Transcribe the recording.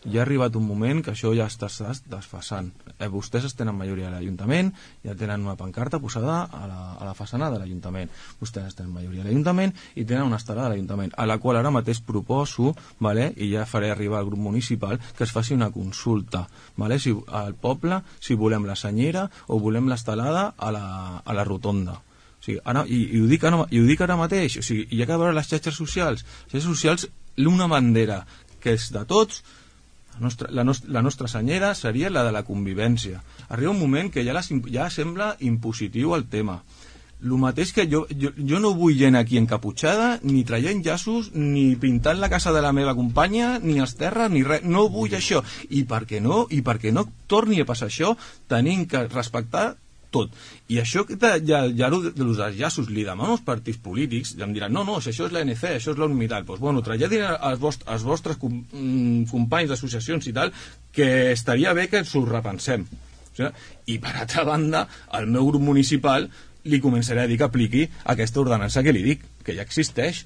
ja ha arribat un moment que això ja està desfasant. Vostès tenen majoria a l'Ajuntament, ja tenen una pancarta posada a la façana de l'Ajuntament. Vostès tenen majoria a l'Ajuntament i tenen una estelada de l'Ajuntament, a la qual ara mateix proposo, i ja faré arribar al grup municipal, que es faci una consulta al poble si volem la senyera o volem l'estelada a la rotonda. O sigui, i ho dic ara mateix, o sigui, hi ha que veure les xarxes socials. Les xarxes socials, una bandera que és de tots, la nostra senyera seria la de la convivència. Arriba un moment que ja sembla impositiu el tema. El mateix que jo no vull gent aquí encaputxada, ni traient llaços, ni pintant la casa de la meva companya, ni els terres, ni res. No vull això. I perquè no torni a passar això, tenim que respectar tot. I això ja dels llaços li demano als partits polítics, ja em diran, no, si això és l'ANC, això és l'Unital, doncs bueno, traslladin als vostres companys d'associacions i tal, que estaria bé que ens ho repensem. I per altra banda, al meu grup municipal li començaré a dir que apliqui aquesta ordenança que li dic, que ja existeix.